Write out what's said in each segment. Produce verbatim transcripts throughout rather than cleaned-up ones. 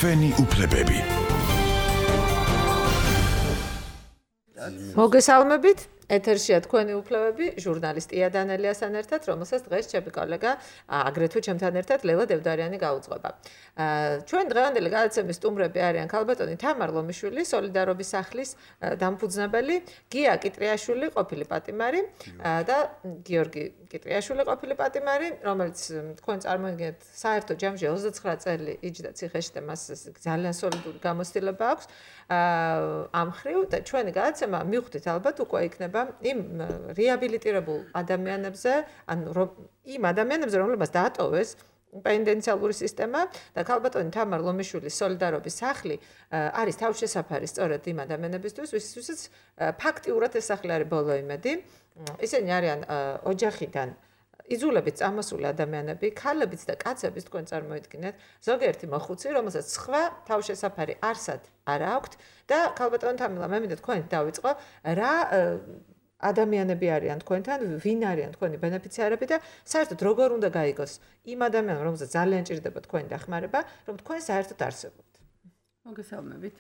თქვენი უფლებები. მოგესალმებით. ეთერშია თქვენი უფლებები, ჟურნალისტი იანელიასთან ერთად, რომელსაც დღეს ჩემი კოლეგა, აგრეთვე ჩემთან ერთად ლელა დევდარიანი გაუძღვება. ჩვენ დღევანდელი გადაცემის სტუმრები არიან ქალბატონი თამარ ლომიშვილი, სოლიდარობის სახლის დამფუძნებელი, გია კიტრიაშვილი, ყოფილი პატიმარი და გიორგი კიტრიაშვილი, ყოფილი პატიმარი, რომელიც თქვენ წარმოიდგინეთ, საერთო ჯამში ოცდაცხრა წელი იჯდა ციხეში და მას ძალიან სოლიდური გამოცდილება აქვს. ამ ხრივ და ჩვენი გადაცემა მივხვდით ალბათ უკვე იქნება იმ რეაბილიტირებულ ადამიანებზე, ანუ იმ ადამიანებზე, რომლებსაც დაატოვეს პენიტენციალური სისტემა და ქალბატონი თამარ ლომიშვილის სოლიდარობის სახლი არის თავშესაფარი სწორედ იმ ადამიანებისთვის, ვისთვისაც ფაქტიურად ეს სახლი არის ბოლო იმედი. ისინი არიან ოჯახიდან იზოლებით წამოსული ადამიანები, ქალებიც და კაცებიც თქვენ წარმოიდგინეთ, ზოგიერთი მოხუცი, რომელსაც სხვა თავშესაფარი არსად არ აქვთ და ქალბატონი თამილა, მე მინდა თქვენ დავიწყო, რა ადამიანები არიან თქვენთან, ვინ არიან თქვენი ბენეფიციარები და საერთოდ როგორ უნდა გაიგოს იმ ადამიანს, რომელსაც ძალიან ჭირდება თქვენი დახმარება, რომ თქვენ საერთოდ არსებობთ. მოგესალმებით.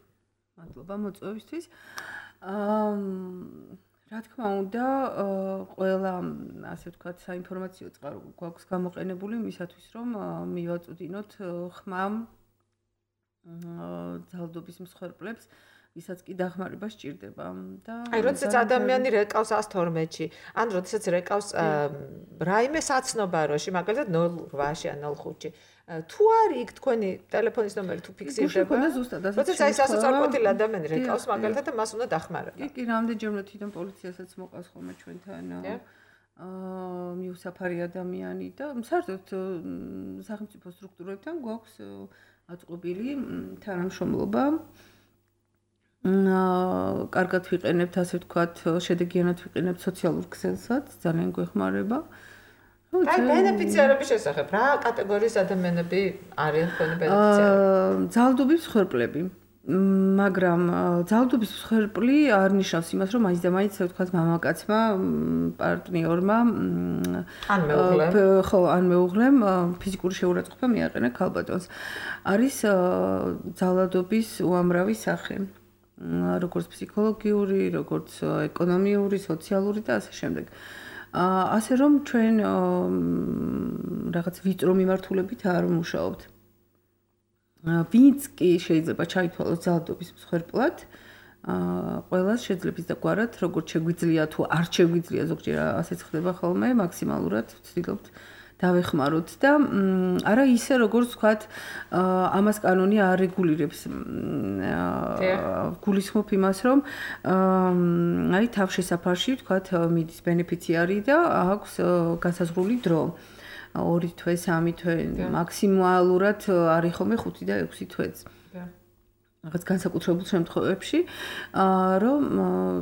მადლობა მოწვევისთვის. აა რა თქმა უნდა, ყველა ასე ვთქვათ, საინფორმაციო წყარო გვაქვს გამოყენებული მისათვის, რომ მივაწვდინოთ ხმამ ძალადობის მსხვერპლებს, ვისაც კი დახმარება სჭირდება და აი, როდესაც ადამიანი რეკავს ას თორმეტში, ან როდესაც რეკავს რაიმე საცნობაროში, მაგალითად ნულ ოთხ-ში ან ნულ ხუთში. თუ არის იქ თქვენი ტელეფონის ნომერი თუ ფიქსირდება, როდესაც აი სასწორკვეთილი ადამიანი რეკავს მაგალითად და მას უნდა დახმარება. კი, კი, რამდენჯერმე თვითონ პოლიციასაც მოყავს ხოლმე ჩვენთან აა მიუსაფარი ადამიანი და საერთოდ სახელმწიფო სტრუქტურებთან გვაქვს აწყობილი თანამშრომლობა. აა კარგად ვიყენებთ, ასე ვთქვათ, შედეგიანად ვიყენებთ სოციალურ ქსელსაც, ძალიან გვეხმარება. აი, ბენეფიციარების შესახებ, რა კატეგორიის ადამიანები არიან თქვენი ბენეფიციარები? ძალადობის მსხვერპლები. მაგრამ ძალადობის მსხვერპლი არ ნიშნავს იმას, რომ მაინც და მაინც, ასე ვთქვათ, მამაკაცმა, პარტნიორმა, ან მეუღლემ, ხო, ან მეუღლემ ფიზიკური შეურაცხყოფა მიაყენა ქალბატონს. არის ძალადობის უამრავი სახე. როგორც ფსიქოლოგიური, როგორც ეკონომიური, სოციალური და ასე შემდეგ. ასე რომ ჩვენ რაღაც ვიწრო მიმართულებით არ ვმუშაობთ. ვინც კი შეიძლება ჩაითვალოს ძალადობის მსხვერპლად, ყველას შეძლებს დაგვარად, როგორც შეგვიძლია თუ არ შეგვიძლია, ზოგჯერ ასეც ხდება ხოლმე, მაქსიმალურად ვცდილობთ დავეხმაროთ და არა ისე როგორც ვთქვათ, ამას კანონი არ რეგულირებს. გულისხმობ იმას, რომ აი თავშესაფარში ვთქვათ, მიდის ბენეფიციარი და აქვს განსაზღვრული დრო. ორი თვე, სამი თვე, მაქსიმალურად არის ხოლმე ხუთი და ექვსი თვეც. რაღაც განსაკუთრებულ შემთხვევებში, რომ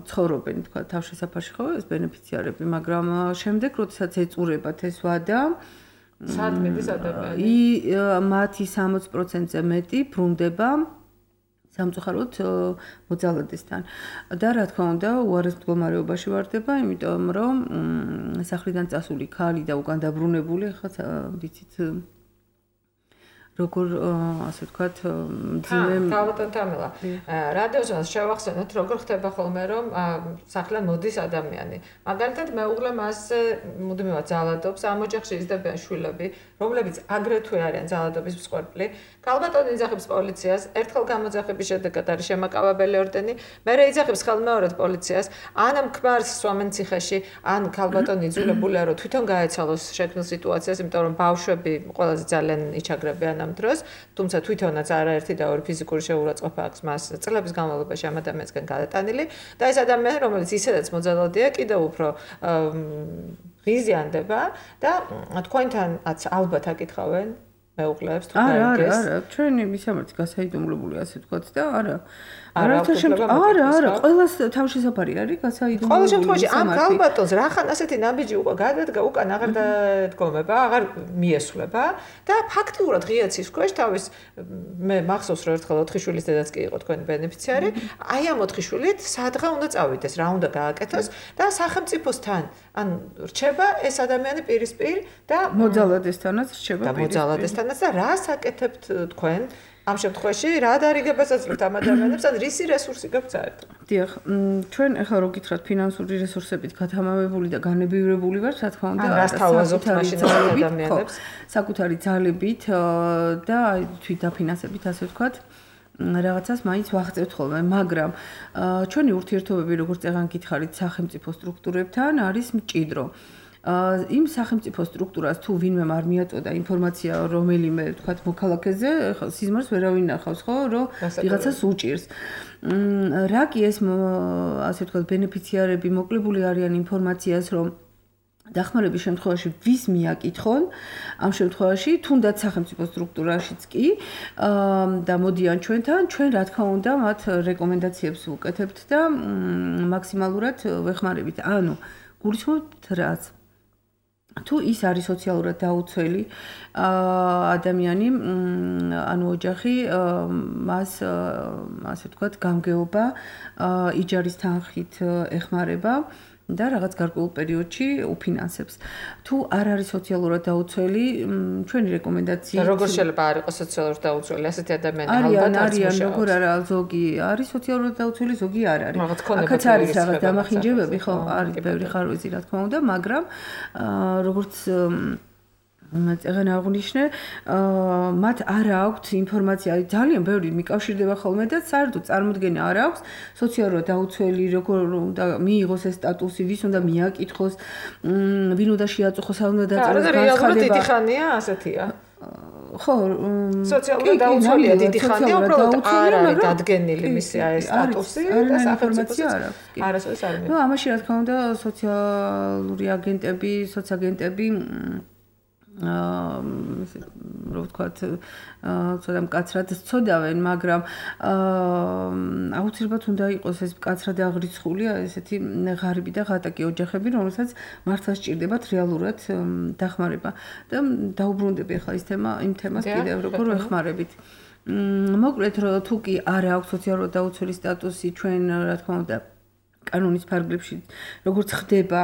ცხოვრობენ, თქვა, თავშესაფარში ხო ეს ბენეფიციარები, მაგრამ შემდეგ, როდესაც ეწურებათ ეს ვადა, სად მიდის ადამიანი? მათი სამოც პროცენტზე მეტი ბრუნდება სამწუხაროდ მოძალადესთან. და რა თქმა უნდა, უარეს მდგომარეობაში ვარდება, იმიტომ რომ სახლიდან წასული ქალი და უკან დაბრუნებული, ხა ვიცით როგორ ასე ვთქვათ, მძიმე ქალბატონ თამილა. რადიოზე შევახსენოთ, როგორ ხდება ხოლმე, რომ სახლიდან მოდის ადამიანი. მაგალითად, მეუღლე მას მუდმივად ძალადობს, ამ ოჯახში იზრდებიან შვილები, რომლებიც აგრეთვე არიან ძალადობის მსხვერპლი. ქალბატონი იძახებს პოლიციას, ერთხელ გამოძახების შედეგად არის შემაკავებელი ორდენი, მერე იძახებს ხელმეორედ პოლიციას, ან ქმარს სვამენ ციხეში, ან ქალბატონი იძულებულია, რომ თვითონ გაეცალოს შექმნილ სიტუაციას, იმიტომ რომ ბავშვები ყველაზე ძალიან იჩაგრებიან ამ დროს, თუმცა თვითონაც არაერთი და ორი ფიზიკური შეურაცხყოფა აქვს მას წლების განმავლობაში ამ ადამიანისგან გადატანილი და ეს ადამიანი, რომელიც ისედაც მოძალადეა, კიდევ უფრო ღიზიანდება და თქვენთანაც ალბათ აკითხავენ მეუღლეებს თუ გაიგეს. არა, არა, ჩვენი მისამართი გასაიდუმლოებული ასე ვთქვათ და არა. არაერთი არა, არა, ყველას თავშესაფარი არის გასაიდუმლოებული. ყოველ შემთხვევაში ამ ქალბატონს რახან ასეთი ნაბიჯი უკვე გადადგა, უკან აღარ დადგომება, აღარ მიესვლება და ფაქტიურად ღია ცის ქვეშ თავის მე მახსოვს რომ ერთხელ ოთხი შვილის დედაც კი იყო თქვენი ბენეფიციარი, აი ამ ოთხი შვილით სადღა უნდა წავიდეს, რა უნდა გააკეთოს და სახელმწიფოსთან ან რჩება ეს ადამიანი პირისპირ და მოძალადესთანაც რჩება პირისპირ და მოძალადესთანაც და რას აკეთებთ თქვენ ამ შემთხვევაში რა დარიგებას აძლევთ ამ ადამიანებს, ან რისი რესურსი გაქვთ საერთოდ? დიახ, ჩვენ ახლა რო გითხრათ ფინანსური რესურსებით გათამამებული და განებივრებული ვართ, რა თქმა უნდა, რას თავაზობთ მაშინ ადამიანებს? საკუთარი ძალებით და თვით დაფინანსებით, ასე ვთქვათ. რაღაცას მაინც ვაღწევთ ხოლმე, მაგრამ ჩვენი ურთიერთობები, როგორც წეგან გითხარით, სახელმწიფო სტრუქტურებთან არის მჭიდრო. იმ სახელმწიფო სტრუქტურას თუ ვინმე არ მიაწოდა ინფორმაცია რომელიმე, ვთქვათ, მოქალაქეზე, სიზმარს ვერავინ ნახავს, ხო, რომ ვიღაცას უჭირს. რა კი ეს, ასე ვთქვათ, ბენეფიციარები მოკლებული არიან ინფორმაციას, რომ დახმარების შემთხვევაში ვის მიაკითხონ, ამ შემთხვევაში თუნდაც სახელმწიფო სტრუქტურაშიც კი და მოდიან ჩვენთან, ჩვენ რა თქმა უნდა მათ რეკომენდაციებს ვუკეთებთ და მაქსიმალურად ვეხმარებით. ანუ გულისხმობთ რაც თუ ის არის სოციალურად დაუცველი ადამიანი, ანუ ოჯახი, მას ასე ვთქვათ, გამგეობა იჯარის თანხით ეხმარება და რაღაც გარკვეულ პერიოდში უფინანსებს. თუ არ არის სოციალურად დაუცველი, ჩვენი რეკომენდაცია როგორ შეიძლება არ იყოს სოციალურად დაუცველი ასეთი ადამიანი ალბათ არიან, არიან, როგორ არა, ზოგი არის სოციალურად დაუცველი, ზოგი არ არის. აქაც არის რაღაც დამახინჯებები, ხო, არის ბევრი ხარვეზი, რა თქმა უნდა, მაგრამ როგორც წეგან აღნიშნე, მათ არ აქვთ ინფორმაცია, ძალიან ბევრი მიკავშირდება ხოლმე და საერთოდ წარმოდგენა არ აქვს სოციალურად დაუცველი, როგორ უნდა მიიღოს ეს სტატუსი, ვის უნდა მიაკითხოს, ვინ უნდა შეაწუხოს, არ უნდა დაწეროს განცხადება. რეალურად დიდი ხანია ასეთია. ხო, სოციალურად დაუცველია დიდი ხანია, უბრალოდ არ არის დადგენილი მისი ეს სტატუსი და სახელმწიფო არასოდეს არ მიიღოს. ნუ ამაში რა თქმა უნდა სოციალური აგენტები, სოციაგენტები აა რო ვთქვათ, ცოტა მკაცრად ცოდავენ, მაგრამ აა აუცილებლად უნდა იყოს ეს მკაცრად აღრიცხული, ესეთი ღარიბი და ღატაკი ოჯახები, რომელსაც მართლა სჭირდებათ რეალურად დახმარება. და დაუბრუნდები ახლა ის თემა, იმ თემას კიდევ როგორ ვეხმარებით. მოკლედ, თუ კი არ აქვს სოციალურად დაუცველი სტატუსი, ჩვენ რა თქმა უნდა კანონის ფარგლებში როგორც ხდება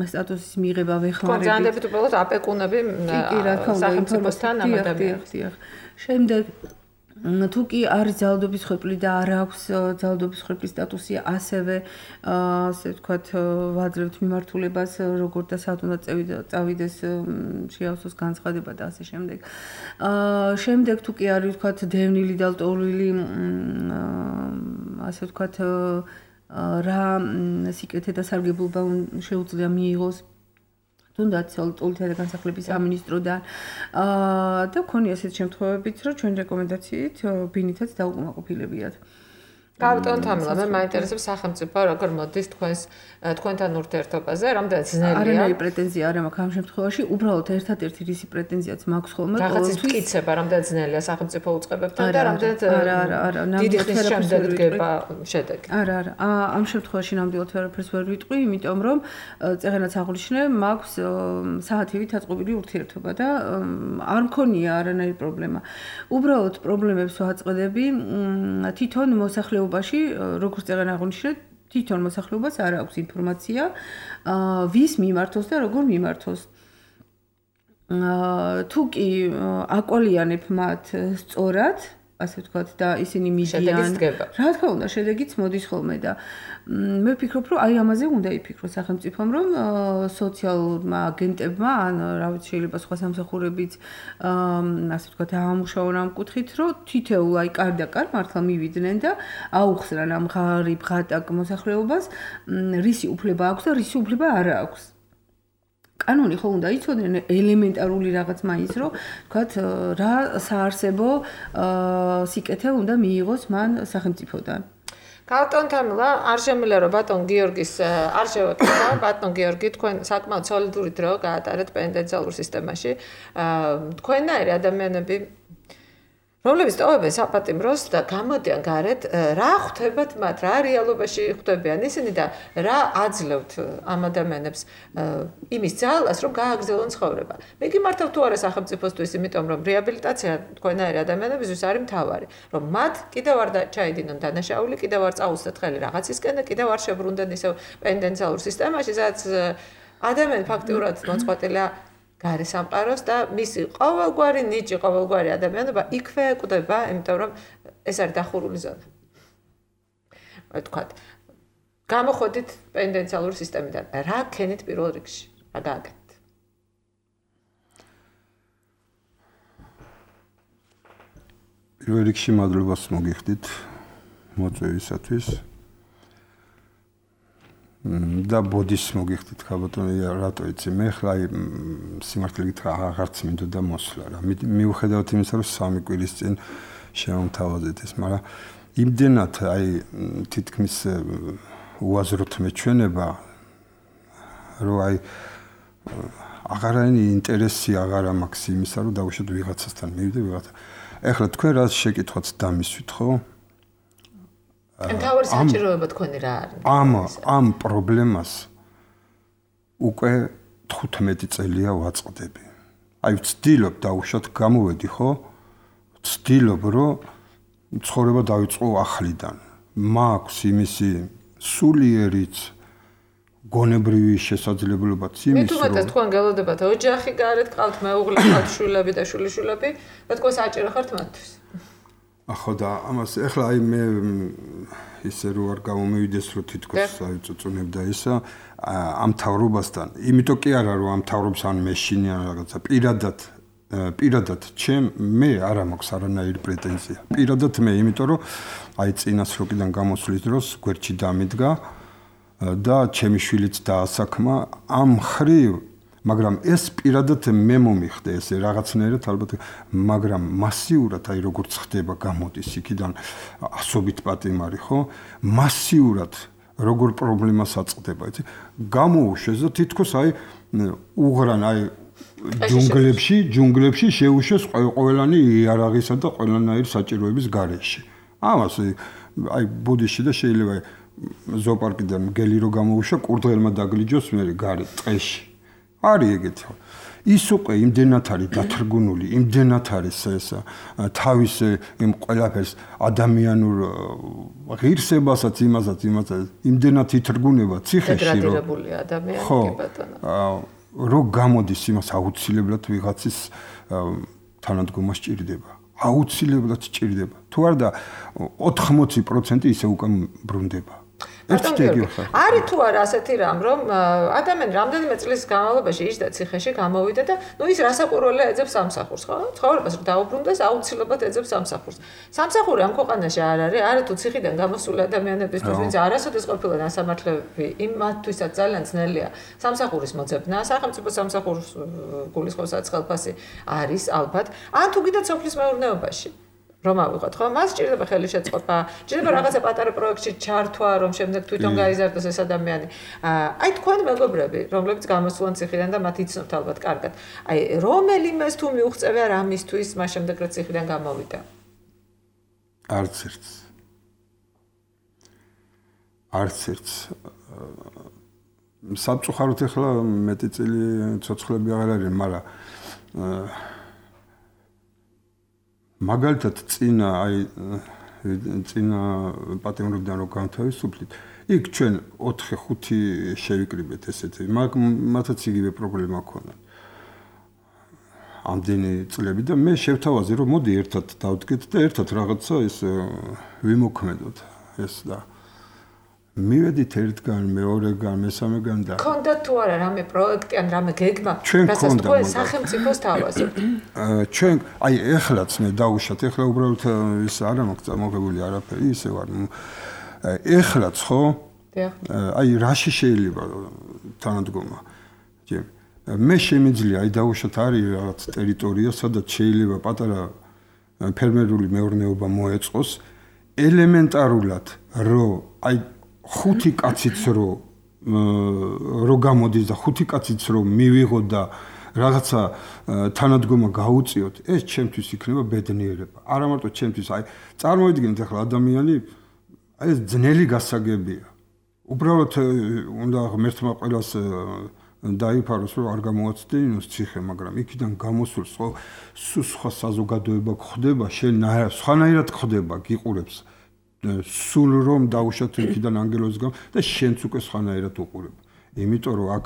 სტატუსის მიღება ვეხმარებით. კონძანებით უბრალოდ აპეკუნები სახელმწიფოსთან ამ ადამიანებს. შემდეგ თუ კი არის ძალადობის ხვეპლი და არ აქვს ძალადობის ხვეპლის სტატუსი, ასევე ასე ვთქვათ, ვაძლევთ მიმართულებას, როგორ და საათ უნდა წავიდეს შეავსოს განცხადება და ასე შემდეგ. შემდეგ თუ კი არის ვთქვათ დევნილი და ლტოლვილი, ასე ვთქვათ რა სიკეთე და სარგებლობა შეუძლია მიიღოს თუნდაც ლტოლვილთა განსახლების სამინისტროდან და მქონია ესეთ შემთხვევებიც, რომ ჩვენ რეკომენდაციით ბინითაც დაუკმაყოფილებიათ. გავიტანოთ ამლა, მე მაინტერესებს სახელმწიფო როგორ მოდის თქვენს თქვენთან ურთიერთობაზე, რამდენად ძნელია. არანაირი პრეტენზია არ მაქვს ამ შემთხვევაში, უბრალოდ ერთადერთი რისი პრეტენზიაც მაქვს ხოლმე, რაღაცის მტკიცება, რამდენად ძნელია სახელმწიფო უწყებებთან და რამდენად დიდი ხნის შემდეგ დგება შედეგი. არა, არა, ამ შემთხვევაში ნამდვილად ვერაფერს ვერ ვიტყვი, იმიტომ რომ წეგენაც აღნიშნე, მაქვს საათივით აწყობილი ურთიერთობა და არ მქონია არანაირი პრობლემა. უბრალოდ პრობლემებს ვაწყდები თვითონ მოსახლეობაში ბაში როგორც წეგან აღნიშნე, თვითონ მოსახლეობას არ აქვს ინფორმაცია, ვის მიმართოს და როგორ მიმართოს. თუ კი აკვალიანებ მათ სწორად, ასე ვთქვათ, და ისინი მიდიან, რა თქმა უნდა, შედეგიც მოდის ხოლმე და მე ვფიქრობ, რომ აი ამაზე უნდა იფიქროს სახელმწიფომ, რომ სოციალურმა აგენტებმა, ან რა ვიცი, შეიძლება სხვა სამსახურებიც, ასე ვთქვათ, ამუშაონ ამ კუთხით, რომ თითოეულ აი კარ და კარ მართლა მივიდნენ და აუხსნან ამ ღარიბ ღატაკ მოსახლეობას, რისი უფლება აქვს და რისი უფლება არ აქვს. კანონი ხო უნდა იცოდნენ ელემენტარული რაღაც მაინც, რომ ვთქვათ, რა საარსებო სიკეთე უნდა მიიღოს მან სახელმწიფოდან. გავტონთ ამლა, არ შემიძლია რომ ბატონ გიორგის არ შევაკითხო, ბატონ გიორგი, თქვენ საკმაოდ სოლიდური დრო გაატარეთ პენიტენციალურ სისტემაში. თქვენნაირი ადამიანები რომლებიც ტოვებენ საპატიმროს და გამოდიან გარეთ, რა ხვდებათ მათ, რა რეალობაში ხვდებიან ისინი და რა აძლევთ ამ ადამიანებს იმის ძალას, რომ გააგრძელონ ცხოვრება. მე გიმართავ თუ არა სახელმწიფოსთვის, იმიტომ რომ რეაბილიტაცია თქვენნაირი ადამიანებისთვის არის მთავარი, რომ მათ კიდევ არ ჩაიდინონ დანაშაული, კიდევ არ წაუსდეთ ხელი რაღაცისკენ და კიდევ არ შებრუნდნენ ისევ პენიტენციალურ სისტემაში, სადაც ადამიანი ფაქტიურად მოწყვეტილია გარე სამყაროს და მისი ყოველგვარი ნიჭი, ყოველგვარი ადამიანობა იქვე კვდება, იმიტომ რომ ეს არის დახურული ზონა. აი თქვათ, გამოходით პენდენციალური სისტემიდან. რა ქენით პირველ რიგში? რა გააკეთეთ? პირველ რიგში მადლობას მოგიხდით მოწვევისათვის. და ბოდის მოგიხდით ხაბატონი, რატო იცი, მე ხლა აი სიმართლე გითხრა აღარც მინდოდა მოსვლა რა. მიუხედავად იმისა, რომ სამი კვირის წინ შემომთავაზეთ ეს, მაგრამ იმდენად აი თითქმის უაზროთ მეჩვენება, რომ აი აღარანი ინტერესი აღარა მაქვს იმისა, რომ დავუშვათ ვიღაცასთან მივიდე ვიღაცა. ეხლა თქვენ რა შეკითხვაც დამისვით, ხო? ან თავი საჭიროება თქვენი რა არის? ამ ამ პრობლემას უკვე თხუთმეტი წელია ვაწყდები. აი ვცდილობ დავუშვათ გამოვედი, ხო? ვცდილობ, რომ ცხოვრება დავიწყო ახლიდან. მაქვს იმისი სულიერიც გონებრივი შესაძლებლობაც იმის, რომ მე თუმცა თქვენ გელოდებათ ოჯახი გარეთ, ყავთ მეუღლე, ყავთ შვილები და შვილიშვილები, და თქვენ საჭირო ხართ მათთვის. ახო და ამას ეხლა აი მე ისე რო არ გამომივიდეს რომ თითქოს აი წუწუნებდა ისა ამ თავრობასთან, იმიტომ კი არა რომ ამ თავრობს ან მეშინი ან რაღაცა პირადად პირადად ჩემ მე არ მაქვს არანაირი პრეტენზია. პირადად მე, იმიტომ რომ აი წინასროგიდან გამოსვლის დროს გვერდში დამიდგა და ჩემი შვილიც დაასაქმა ამ ხრივ, მაგრამ ეს პირადად მე მომიხდე ესე რაღაცნაირად ალბათ, მაგრამ მასიურად აი როგორც ხდება გამოდის იქიდან ასობით პატიმარი, ხო? მასიურად როგორ პრობლემას აწყდება, იცი? გამოუშვეს და თითქოს აი უღრან აი ჯუნგლებში, ჯუნგლებში შეუშვეს ყველანი იარაღისა და ყველანაირი საჭიროების გარეშე. ამას აი ბუდიში და შეიძლება ზოოპარკიდან მგელი რო გამოუშვა, კურდღელმა დაგლიჯოს მე გარე ტყეში. არის ეგეთი. ის უკვე იმდენად არის დათრგუნული, იმდენად არის ეს თავის იმ ყველაფერს ადამიანურ ღირსებასაც, იმასაც, იმასაც იმდენად ითრგუნება ციხეში, რომ დეგრადირებული ადამიანი კი ბატონო. რო გამოდის იმას აუცილებლად ვიღაცის თანადგომა სჭირდება. აუცილებლად სჭირდება. თუ არ და ოთხმოცი პროცენტი ისე უკვე ბრუნდება. არის თუ არა ასეთი რამ, რომ ადამიანი რამდენიმე წლის განმავლობაში იჯდა ციხეში, გამოვიდა და ნუ ის რასაყურველია ეძებს სამსახურს, ხო? ცხოვრებას რომ დაუბრუნდეს, აუცილებლად ეძებს სამსახურს. სამსახური ამ ქვეყანაში არ არის, არა თუ ციხიდან გამოსული ადამიანებისთვის, ვინც არასოდეს ყოფილა დასამართლები, იმათთვისაც ძალიან ძნელია სამსახურის მოძებნა, სახელმწიფო სამსახურს გულისხმობ სახელმფასი არის ალბათ, ან თუ კიდე სოფლის მეურნეობაში. რომ ავიღოთ, ხო? მას სჭირდება ხელშეწყობა, სჭირდება რაღაცა პატარა პროექტში ჩართვა, რომ შემდეგ თვითონ გაიზარდოს ეს ადამიანი. აი თქვენ მეგობრები, რომლებიც გამოსულან ციხიდან და მათ იცნობთ ალბათ კარგად. აი რომელიმეს თუ მიუღწევია რამისთვის, მას შემდეგ რა ციხიდან გამოვიდა? არც ერთს. არც ერთს. სამწუხაროდ ახლა მეტი წელი ცოცხლები აღარ არის, მაგრამ მაგალითად წინა აი წინა პატიმრობიდან რო განთავისუფლით, იქ ჩვენ ოთხი ხუთი შევიკრიბეთ ესეთი, მათაც იგივე პრობლემა ჰქონდათ. ამდენი წლები და მე შევთავაზე რომ მოდი ერთად დავდგეთ და ერთად რაღაცა ეს ვიმოქმედოთ ეს და მივედით ერთგან, მეორეგან, მესამეგან და ქონდათ თუ არა რამე პროექტი ან რამე გეგმა, რასაც თქვენ სახელმწიფოს თავაზობთ? ჩვენ აი ეხლაც მე დაუშვათ, ეხლა უბრალოდ ის არა მაქვს წამოღებული არაფერი, ისე ვარ. ეხლაც ხო? აი რაში შეიძლება თანადგომა? მე შემიძლია აი დაუშვათ არის რაღაც ტერიტორია, სადაც შეიძლება პატარა ფერმერული მეურნეობა მოეწყოს, ელემენტარულად რომ აი ხუთი კაციც რო რო გამოდის და ხუთი კაციც რო მივიღოთ და რაღაცა თანადგომა გაუწიოთ, ეს ჩემთვის იქნება ბედნიერება. არა მარტო ჩემთვის, აი წარმოვიდგინეთ ახლა ადამიანი აი ეს ძნელი გასაგებია. უბრალოდ უნდა ღმერთმა ყველას დაიფაროს რომ არ გამოაცდენინოს ციხე, მაგრამ იქიდან გამოსულს ხო სხვა საზოგადოება გხდება, შენ სხვანაირად გხდება, გიყურებს. სულ რომ დაუშვათ იქიდან ანგელოზს გამ და შენც უკვე სხვანაირად უყურებ. იმიტომ რომ აქ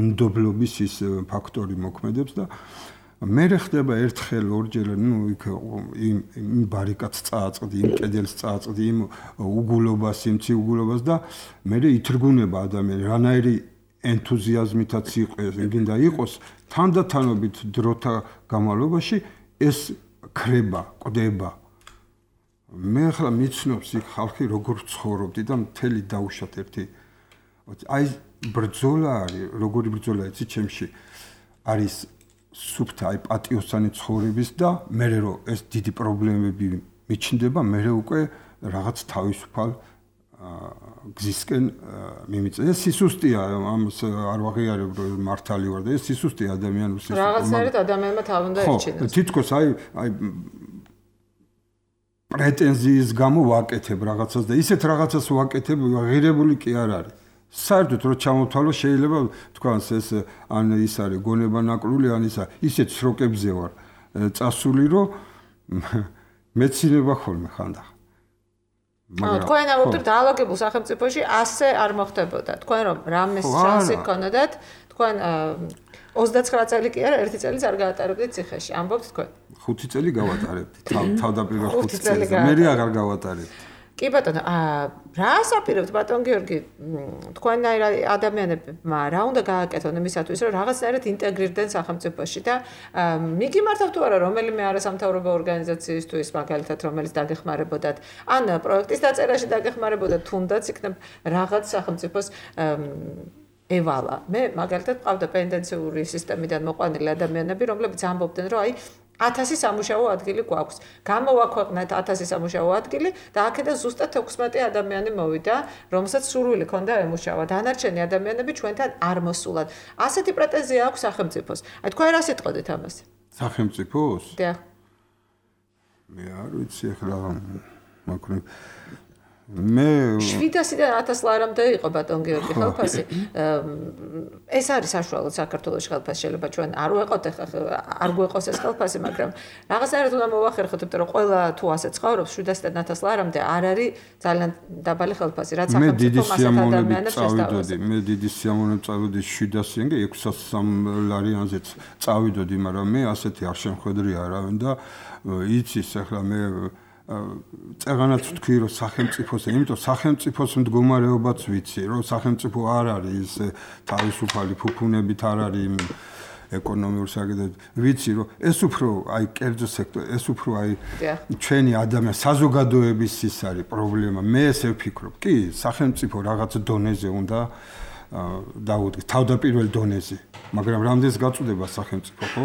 უნდობლობის ის ფაქტორი მოქმედებს და მე ხდება ერთხელ ორჯერ ნუ იქ იმ ბარიკადს წააწყდი, იმ კედელს წააწყდი, იმ უგულობას, იმ ციუგულობას და მე ითრგუნება ადამიანი, რანაირი ენთუზიაზმითაც იყოს, გინდა იყოს, თანდათანობით დროთა განმავლობაში ეს ქრება, კვდება. მე ახლა მიცნობს იქ ხალხი როგორ ცხოვრობდი და მთელი დაუშვათ ერთი აი ბრძოლა არის, როგორი ბრძოლა იცი ჩემში არის სუფთა აი პატიოსანი ცხოვრების და მე რო ეს დიდი პრობლემები მიჩნდება, მე უკვე რაღაც თავისუფალ გზისკენ მიმიწევ. ეს სისუსტეა, ამას არ ვაღიარებ რომ მართალი ვარ და ეს სისუსტეა ადამიანის სისუსტე. რაღაცნაირად ადამიანმა თავ უნდა ერჩინოს. ხო, თითქოს აი აი პრეტენზიის გამო ვაკეთებ რაღაცას და ისეთ რაღაცას ვაკეთებ, ღირებული კი არ არის. საერთოდ რო ჩამოვთვალო შეიძლება თქვას ეს ან ის არის გონება ნაკრული ან ისა ისეთ სროკებზე ვარ წასული რომ მეცინება ხოლმე ხანდახან მაგრამ თქვენ აუბრალოდ დაალაგებულ სახელმწიფოში ასე არ მოხდებოდა თქვენ რომ რამეს შანსი გქონოდათ თქვენ ოცდაცხრა წელი კი არა ერთი წელიც არ გაატარებდით ციხეში ამბობთ თქვენ ხუთი წელი გავატარებდი თავდაპირველ ხუთი წელს მე აღარ გავატარებდი კი ბატონო, რა ასაპირებთ ბატონ გიორგი, თქვენაირ ადამიანებმა რა უნდა გააკეთონ იმისათვის, რომ რაღაცნაირად ინტეგრირდნენ სახელმწიფოში და მიგიმართავთ თუ არა რომელიმე არასამთავრობო ორგანიზაციისთვის, მაგალითად, რომელიც დაგეხმარებოდათ, ან პროექტის დაწერაში დაგეხმარებოდათ, თუნდაც იქნებ რაღაც სახელმწიფოს ევალა. მე მაგალითად ყავდა პენდენციური სისტემიდან მოყვანილი ადამიანები, რომლებიც ამბობდნენ, რომ აი ათასი სამუშაო ადგილი გვაქვს. გამოვაქვეყნეთ ათასი სამუშაო ადგილი და აქედან ზუსტად ექვსმეტი ადამიანი მოვიდა, რომელსაც სურვილი ჰქონდა ემუშავა. დანარჩენი ადამიანები ჩვენთან არ მოსულან. ასეთი პრეტენზია აქვს სახელმწიფოს. აი თქვენ რა სიტყოდით ამას? სახელმწიფოს? დიახ. მე არ ვიცი ახლა მაგრამ მე შვიდასიდან ათას ლარამდე იყო ბატონ გიორგი ხელფასი. ეს არის საშუალო საქართველოს ხელფასი შეიძლება ჩვენ არ ვეყოთ არ გვეყოს ეს ხელფასი, მაგრამ რაღაცნაირად უნდა მოვახერხოთ, იმიტომ რომ ყველა თუ ასე ცხოვრობს შვიდასიდან ათას ლარამდე არ არის ძალიან დაბალი ხელფასი, რაც სახელმწიფო მასეთ ადამიანებს შესთავაზებს. მე დიდი სიამოვნებით წავიდოდი შვიდასიდან და ექვსასამ ლარიანზეც წავიდოდი, მაგრამ მე ასეთი არ შემხედრია არავინ და იცის ახლა მე წეღანაც ვთქვი რომ სახელმწიფოს, იმიტომ სახელმწიფოს მდგომარეობაც ვიცი, რომ სახელმწიფო არ არის თავისუფალი ფუფუნებით არ არის ეკონომიური საკითხები. ვიცი რომ ეს უფრო აი კერძო სექტორი, ეს უფრო აი ჩვენი ადამიანი საზოგადოების ის არის პრობლემა. მე ესე ვფიქრობ. კი, სახელმწიფო რაღაც დონეზე უნდა დაუდგეს, თავდაპირველ დონეზე. მაგრამ რამდენს გაწუდება სახელმწიფო, ხო?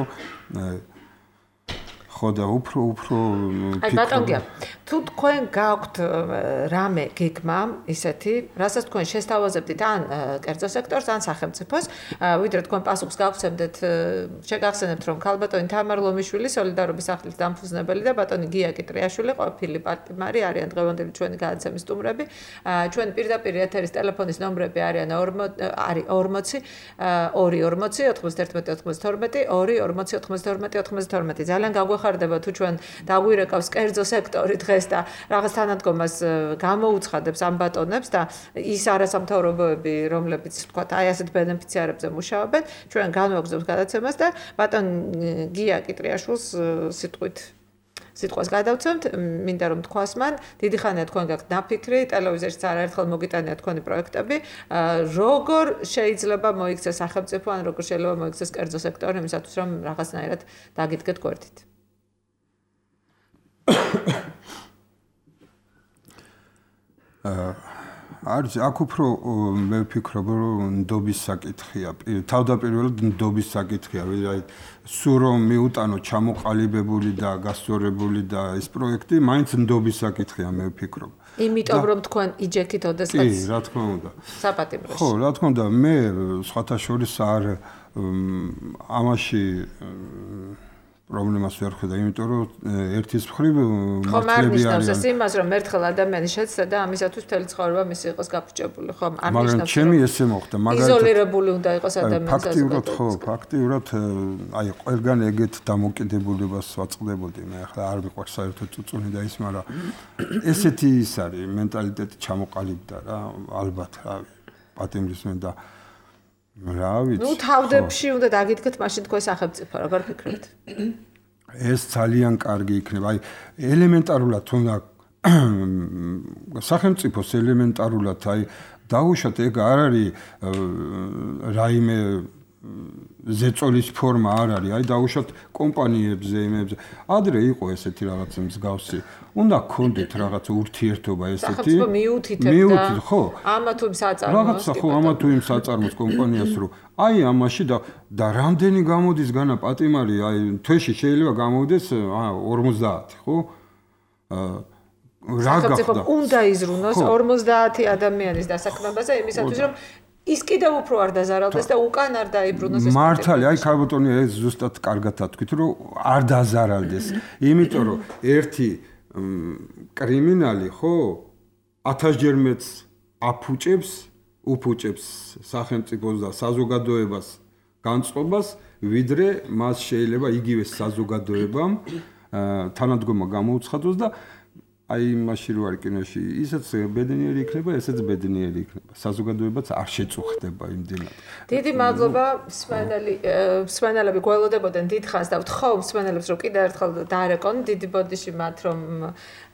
ხო და უფრო უფრო აი ბატონ გია თუ თქვენ გაქვთ რამე გეგმა ისეთი რასაც თქვენ შესთავაზებდით ან კერძო სექტორს ან სახელმწიფოს ვიდრე თქვენ პასუხს გავცემდეთ შეგახსენებთ რომ ქალბატონი თამარ ლომიშვილი სოლიდარობის სახლის დამფუძნებელი და ბატონი გია კიტრიაშვილი ყოფილი პარტნიორი არიან დღევანდელი ჩვენი გადაცემის სტუმრები ჩვენ პირდაპირ ეთერის ტელეფონის ნომრები არიან არის ორმოცი ორი ორმოცი ოთხმოცდაერთმეტი ოცდათორმეტი ორი ორმოცი ოცდათორმეტი ოცდათორმეტი ძალიან გაგვეხარდება თუ ჩვენ დაგვირეკავს კერძო სექტორი დღეს და რაღაც თანადგომას გამოუცხადებს ამ ბატონებს და ის არასამთავრობოები რომლებიც თქვათ აი ასეთ ბენეფიციარებზე მუშაობენ ჩვენ განვაგრძობთ გადაცემას და ბატონ გია კიტრიაშვილს სიტყვით სიტყვას გადავცემთ მინდა რომ თქვას მან დიდი ხანია თქვენ გაქვთ ნაფიქრი ტელევიზორშიც არაერთხელ მოგიტანია თქვენი პროექტები როგორ შეიძლება მოიქცეს სახელმწიფო ან როგორ შეიძლება მოიქცეს კერძო სექტორი იმისათვის რომ რაღაცნაირად დაგიდგეთ გვერდით არის აქ უფრო მე ვფიქრობ რომ ნდობის საკითხია თავდაპირველად ნდობის საკითხია აი სულ რომ მიუტანო ჩამოყალიბებული და გასწორებული და ეს პროექტი მაინც ნდობის საკითხია მე ვფიქრობ იმიტომ რომ თქვენ იჯექით ოდესღაც კი რა თქმა უნდა საპატიმროში ხო რა თქმა უნდა მე სხვათა შორის არ ამაში პრობლემას ვერ ხედავ, იმიტომ რომ ერთის მხრივ მართლები არის. ხო, იმას რომ ერთხელ ადამიანი შეცდა და ამისათვის მთელი ცხოვრება მისი იყოს გაფუჭებული, ხო, არ ნიშნავს. მაგრამ ჩემი ესე მოხდა, მაგალითად იზოლირებული უნდა იყოს ადამიანი. ფაქტიურად ხო, ფაქტიურად აი ყველგან ეგეთ დამოკიდებულებას ვაწყდებოდი. მე ახლა არ მიყვარს საერთოდ წუწუნი და ის, მაგრამ ესეთი ის არის, მენტალიტეტი ჩამოყალიბდა რა, ალბათ, რავი, პატიმრისმენ და რა ვიცი. ნუ თავდებში უნდა დაგიდგეთ მაშინ თქვენ სახელმწიფო, როგორ ფიქრობთ? ეს ძალიან კარგი იქნება. აი ელემენტარულად თუნდა სახელმწიფოს ელემენტარულად აი დაუშვათ ეგ არ არის რაიმე ზეწოლის ფორმა არ არის. აი დაუშვათ კომპანიებზე, იმებზე. ადრე იყო ესეთი რაღაცა მსგავსი. უნდა გქონდეთ რაღაცა ურთიერთობა ესეთი. სახელმწიფო მიუთითებდა. მიუთით, ხო. ამა თუ იმ საწარმოს. რაღაცა ხო, ამა თუ იმ საწარმოს კომპანიას რო აი ამაში და და რამდენი გამოდის განა პატიმარი, აი თვეში შეიძლება გამოვიდეს ორმოცდაათი, ხო? აა რა გახდა? სახელმწიფო უნდა იზრუნოს ორმოცდაათი ადამიანის დასაქმებაზე იმისათვის რომ ის კიდევ უფრო არ დაზარალდეს და უკან არ დაიბრუნოს ეს მართალი, აი ქალბატონი ეს ზუსტად კარგად ათქვით, რომ არ დაზარალდეს. იმიტომ რომ ერთი კრიმინალი, ხო, ათასჯერ მეც აფუჭებს, უფუჭებს სახელმწიფოს და საზოგადოებას განწყობას, ვიდრე მას შეიძლება იგივე საზოგადოებამ თანადგომა გამოუცხადოს და აი მაშინ რო არის კინოში, ისაც ბედნიერი იქნება, ესეც ბედნიერი იქნება. საზოგადოებაც არ შეწუხდება იმდენად. დიდი მადლობა, მსმენელი, მსმენელები გველოდებოდნენ დიდხანს და ვთხოვ მსმენელებს რომ კიდევ ერთხელ დაარეკონ დიდი ბოდიში მათ რომ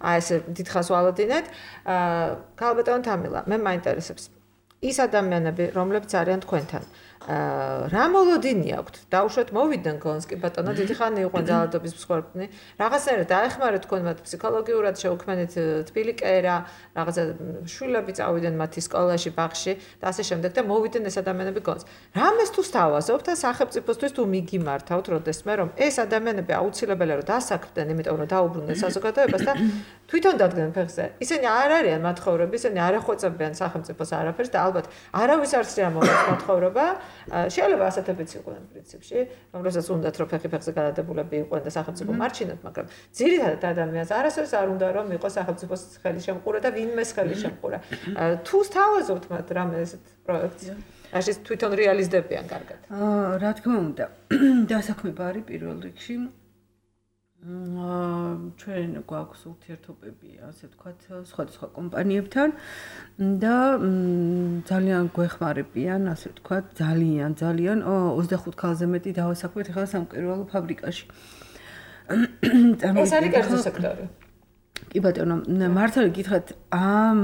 აი ეს დიდხანს ვალოდინეთ. ქალბატონ თამილა, მე მაინტერესებს ის ადამიანები, რომლებიც არიან თქვენთან. რა მოლოდინი აქვთ? დაუშვათ მოვიდნენ გონსკი ბატონო, დიდი ხანი იყვნენ ძალადობის მსხვერპლნი. რაღაცნაირად დაეხმარეთ თქვენ მათ ფსიქოლოგიურად, შეუქმნით თბილი კერა, რაღაცა შვილები წავიდნენ მათი სკოლაში, ბაღში და ასე შემდეგ და მოვიდნენ ეს ადამიანები გონს. რამეს თუ სთავაზობთ და სახელმწიფოსთვის თუ მიგიმართავთ, როდესმე რომ ეს ადამიანები აუცილებელია რომ დასაქმდნენ, იმიტომ რომ დაუბრუნდნენ საზოგადოებას და თვითონ დადგნენ ფეხზე. ისინი არ არიან მათხოვრები, ისინი არ ახვეწებიან სახელმწიფოს არაფერს და ალბათ არავის არ შეამოწმოთ მათხოვრება. შეიძლება ასეთებიც იყვნენ პრინციპში, რომელსაც უნდათ რომ ფეხი ფეხზე გადადებულები იყვნენ და სახელმწიფო მარჩინოთ, მაგრამ ძირითადად ადამიანს არასდროს არ უნდა რომ იყოს სახელმწიფოს ხელი შემყურა და ვინმეს ხელი შემყურა. თუ სთავაზობთ მათ რამე ესეთ პროექტს, ასე თვითონ რეალიზდებიან კარგად. აა რა თქმა უნდა, დასაქმება არის პირველ რიგში. აა ჩვენ გვაქვს ურთიერთობები, ასე ვთქვათ, სხვადასხვა კომპანიებთან და ძალიან გვეხმარებიან, ასე ვთქვათ, ძალიან, ძალიან ოცდახუთ ქალზე მეტი დავასაქმეთ ახლა სამკერვალო ფაბრიკაში. ეს არის კერძო სექტორი. კი ბატონო, მართალი გითხრათ, ამ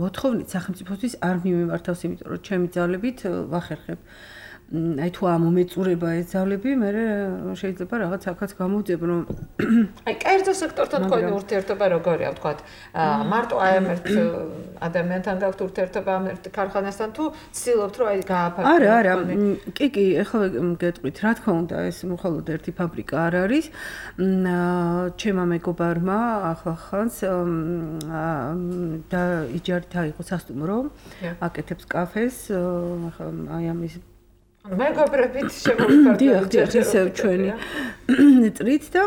მოთხოვნით სახელმწიფოსთვის არ მიმართავს, იმიტომ რომ ჩემი ძალებით ვახერხებ. აი თუ ამ უმეწურება ეს ძალები, მე შეიძლება რაღაც აქაც გამოვძებ, რომ აი კერძო სექტორთან თქვენი ურთიერთობა როგორია, ვთქვათ, მარტო აი ამ ერთ ადამიანთან გაქვთ ურთიერთობა ამ ერთ ქარხანასთან თუ ცდილობთ რომ აი გააფართოვოთ? არა, არა, კი, კი, ახლა გეტყვით, რა თქმა უნდა, ეს მხოლოდ ერთი ფაბრიკა არ არის. ჩემმა მეგობარმა ახლახანს და იჯარით აიღო სასტუმრო, აკეთებს კაფეს, აი ამის მეგობრებით შემოვიფარგლეთ ისევ ჩვენი წრით და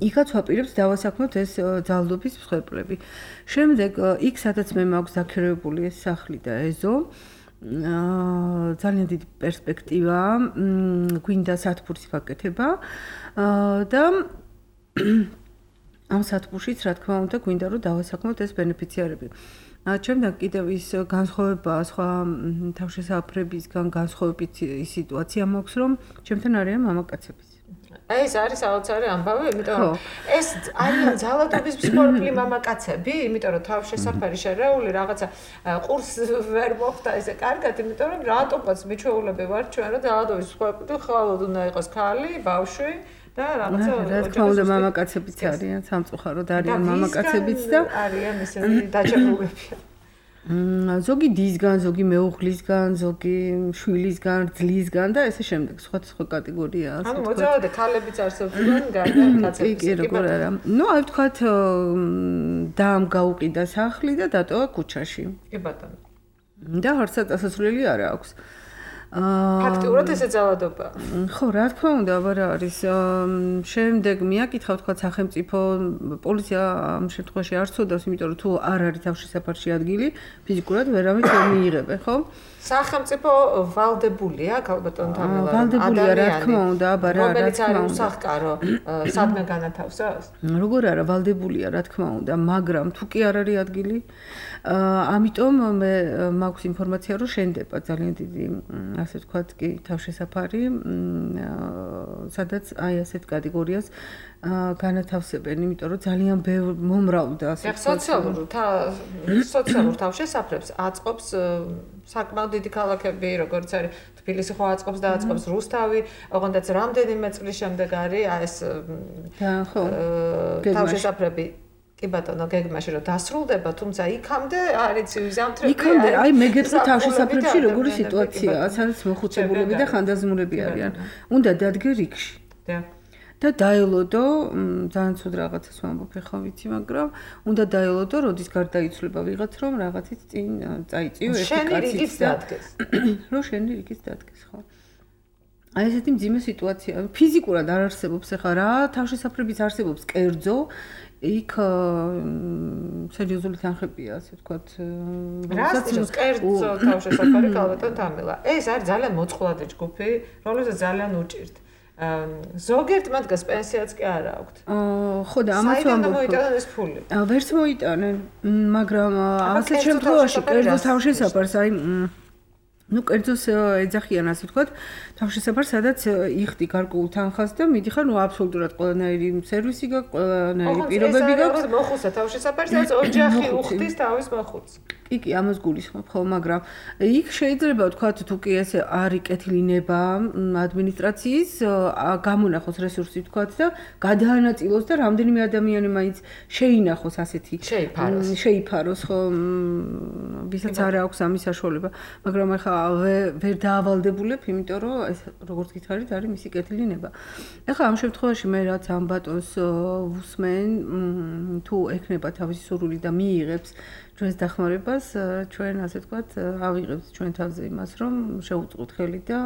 იქაც ვაპირებს დავასაქმოთ ეს ძალადობის მსხვერპლები. შემდეგ იქ სადაც მე მაქვს დაქირავებული ეს სახლი და ეზო, ძალიან დიდი პერსპექტივაა, გვინდა სათბურის გაკეთება და ამ სათბურშიც რა თქმა უნდა გვინდა რომ დავასაქმოთ ეს ბენეფიციარები. შემდეგ კიდევ ის განსხვავება სხვა თავშესაფრებისგან განსხვავებით სიტუაცია მაქვს რომ ჩემთან არიან მამაკაცებიც. აი ეს არის საოცარი ამბავი, იმიტომ რომ ეს არიან ძალადობის მსხვერპლი მამაკაცები, იმიტომ რომ თავშესაფარი შერეული რაღაცა ყურს ვერ მოხდა ესე კარგად, იმიტომ რომ რატომაც მიჩვეულები ვართ ჩვენ რომ ძალადობის მსხვერპლი ხალოდ უნდა იყოს ქალი, ბავშვი და რაღაცა რა თქმა უნდა მამაკაცებიც არიან, სამწუხაროდ არიან მამაკაცებიც და არიან ისინი დაჭერულები. ზოგი დისგან, ზოგი მეუღლისგან, ზოგი შვილისგან, ძლისგან და ესე შემდეგ, სხვა სხვა კატეგორიაა. ანუ მოძრაობა ქალებიც არსებობენ, გარდა კაცებიც. კი, როგორ არა. ნუ აი ვთქვათ, დამ გაუყიდა სახლი და დატოვა ქუჩაში. კი ბატონო. და არცად ასასვლელი არ აქვს. ფაქტიურად ესე ძალადობა. ხო, რა თქმა უნდა, აბა რა არის. შემდეგ მიაკითხა თქვა სახელმწიფო პოლიცია ამ შემთხვევაში არ ცოდავს, იმიტომ რომ თუ არ არის თავშესაფარში ადგილი, ფიზიკურად ვერავინ ვერ მიიღებენ, ხო? სახელმწიფო ვალდებულია ქალბატონ თამელა ვალდებულია რა თქმა უნდა აბა რა რა თქმა უნდა უსახკარო სადმე განათავსოს როგორ არა ვალდებულია რა თქმა უნდა მაგრამ თუ კი არ არის ადგილი ამიტომ მე მაქვს ინფორმაცია რომ შენდება ძალიან დიდი ასე ვთქვათ კი თავშესაფარი სადაც აი ასეთ კატეგორიას განათავსებენ იმიტომ რომ ძალიან მომრავლდა ასე სოციალურ სოციალურ თავშესაფრებს აწყობს საკმაოდ დიდი ქალაქები როგორც არის თბილისი ხო აწყობს და აწყობს რუსთავი ოღონდაც რამდენიმე წლის შემდეგ არის ეს ხო თავშესაფრები კი ბატონო გეგმაში რომ დასრულდება თუმცა იქამდე არის ზამთრები იქამდე აი მე გეტყვი თავშესაფრებში როგორი სიტუაციაა სადაც მოხუცებულები და ხანდაზმულები არიან უნდა დადგე რიგში და დაელოდო ძალიან ცუდ რაღაცას ვამბობ ხა ვიცი მაგრამ უნდა დაელოდო როდის გარდაიცვლება ვიღაც რომ რაღაცით წინ წაიწიო ერთი კაციც დადგეს რომ შენი რიგიც დადგეს ხო აი ესეთი მძიმე სიტუაცია ფიზიკურად არ არსებობს ხა რა თავშესაფრებიც არსებობს კერძო იქ სერიოზული თანხებია ასე ვთქვათ რასაც კერძო თავშესაფარი ქალბატონ თამელა ეს არის ძალიან მოწყვლადი ჯგუფი რომელსაც ძალიან უჭირთ ზოგიერთ მათგანს პენსიაც კი არ აქვთ. ხო და ამას ვამბობ. მოიტანენ ეს ფული. ვერც მოიტანენ, მაგრამ ასეთ შემთხვევაში კერძო თავშესაფარს აი ну კერძოს ეძახიან ასე ვთქვათ თავშესაფარს სადაც იხდი გარკვეულ თანხას და მიდიხარ ну აბსოლუტურად ყველანაირი სერვისი გაქვს ყველანაირი პირობები გაქვს მოხუცა თავშესაფარს სადაც ოჯახი უხდის თავის მოხუცს კი კი ამას გულისხმობ ხო მაგრამ იქ შეიძლება ვთქვათ თუ კი ესე არის კეთილინება ადმინისტრაციის გამონახოს რესურსი ვთქვათ და გადაანაწილოს და რამდენიმე ადამიანი მაინც შეინახოს ასეთი შეიფაროს შეიფაროს ხო ვისაც არ აქვს ამის საშუალება მაგრამ ახლა ვერ დაავალდებულებ, იმიტომ რომ ეს როგორც გითხარით, არის მისი კეთილინება. ახლა ამ შემთხვევაში მე რაც ამ ბატონს ვუსმენ, თუ ექნება თავისი სურვილი და მიიღებს ჩვენს დახმარებას, ჩვენ ასე ვთქვათ, ავიღებთ ჩვენ თავზე იმას, რომ შევუწყოთ ხელი და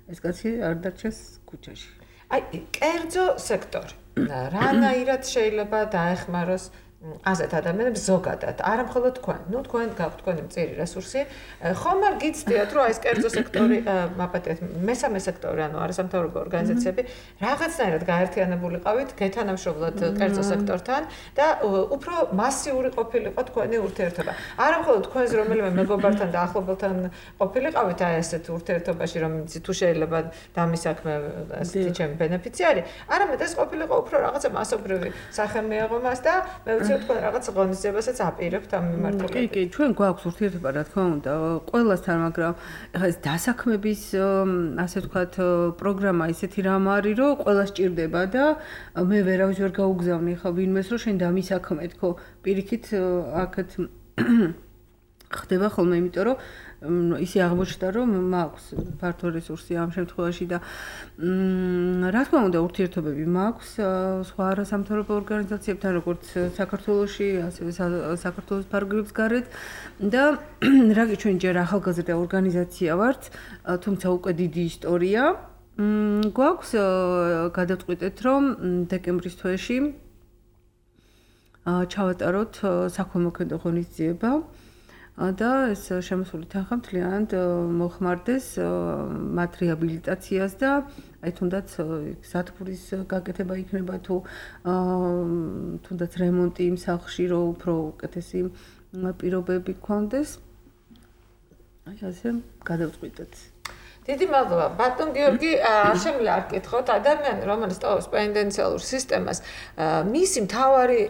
ეს კაცი არ დარჩეს ქუჩაში. აი, კერძო სექტორი. რანაირად შეიძლება დაეხმაროს ასეთ ადამიანებს ზოგადად, არა მხოლოდ თქვენ. ნუ თქვენ გაქვთ თქვენი მწირი რესურსი. ხომ არ გიცდიათ, რომ აი ეს კერძო სექტორი, მაპატიეთ, მესამე სექტორი, ანუ არასამთავრობო ორგანიზაციები, რაღაცნაირად გაერთიანებულიყავით გეთანამშრომლად კერძო სექტორთან და უფრო მასიური ყოფილიყო თქვენი ურთიერთობა. არა მხოლოდ თქვენს რომელიმე მეგობართან და ახლობელთან ყოფილიყავით აი ასეთ ურთიერთობაში, რომელიც თუ შეიძლება დამისაქმე ასეთი ჩემი ბენეფიციარი, არამედ ეს ყოფილიყო უფრო რაღაცა მასობრივი სახე მიიღო მას და მე თქვენ რაღაც ღონისძიებასაც აპირებთ ამ მიმართულებით. კი, კი, ჩვენ გვაქვს ურთიერთობა, რა თქმა უნდა, ყველასთან, მაგრამ ეხლა ეს დასაქმების, ასე ვთქვათ, პროგრამა ისეთი რამ არის, რომ ყველა სჭირდება და მე ვერავის ვერ გაუგზავნი ხა ვინმეს, რომ შენ დამისაქმე თქო, პირიქით აქეთ ხდება ხოლმე, იმიტომ რომ ისე აღმოჩნდა რომ მაქვს ფართო რესურსი ამ შემთხვევაში და რა თქმა უნდა ურთიერთობები მაქვს სხვა არასამთავრობო ორგანიზაციებთან როგორც საქართველოში ასევე საქართველოს ფარგლებს გარეთ და რაგი ჩვენ ჯერ ახალგაზრდა ორგანიზაცია ვართ თუმცა უკვე დიდი ისტორია გვაქვს გადავწყვიტეთ რომ დეკემბრის თვეში ჩავატაროთ საქველმოქმედო ღონისძიება და ეს შემოსული თანხა მთლიანად მოხმარდეს მათ რეაბილიტაციას და აი თუნდაც სათბურის გაკეთება იქნება თუ თუნდაც რემონტი იმ სახლში რომ უფრო უკეთესი პირობები გქონდეს აი ასე გადავწყვიტეთ დიდი მადლობა ბატონ გიორგი შემიძლია არ გკითხოთ ადამიანი რომელიც ტოვებს პენდენციალურ სისტემას მისი მთავარი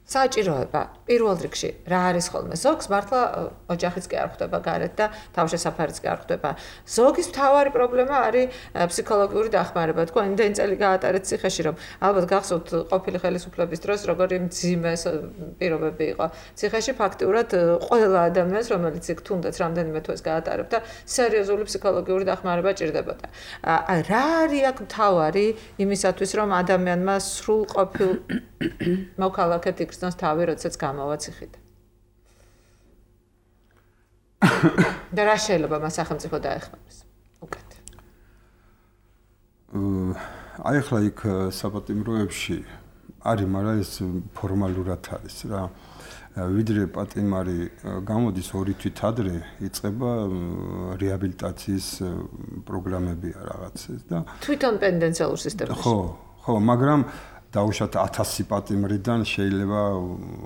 საჭიროება პირველ რიგში რა არის ხოლმე ზოგს მართლა ოჯახიც კი არ ხვდება გარეთ და თავშესაფარიც კი არ ხვდება ზოგის მთავარი პრობლემა არის ფსიქოლოგიური დახმარება თქვენ იმდენი წელი გაატარეთ ციხეში რომ ალბათ გახსოვთ ყოფილი ხელისუფლების დროს როგორი მძიმე პირობები იყო ციხეში ფაქტიურად ყველა ადამიანს რომელიც იქ თუნდაც რამდენიმე თვეს გაატარებდა სერიოზული ფსიქოლოგიური დახმარება ჭირდებოდა რა არის აქ მთავარი იმისათვის რომ ადამიანმა სრულ ყოფილ მოქალაქედ იქცნოს თავი როდესაც გამოვა ციხიდან და რა შეიძლება მას სახელმწიფო დაეხმაროს უკეთ აი ახლა იქ საპატიმროებში არის მაგრამ ეს ფორმალურად არის რა ვიდრე პატიმარი გამოდის ორი თვით ადრე იწყება რეაბილიტაციის პროგრამებია რაღაცას და თვითონ პენდენციალურ სისტემაში. ხო, ხო, მაგრამ დაუშვათ ათასი პატიმრიდან შეიძლება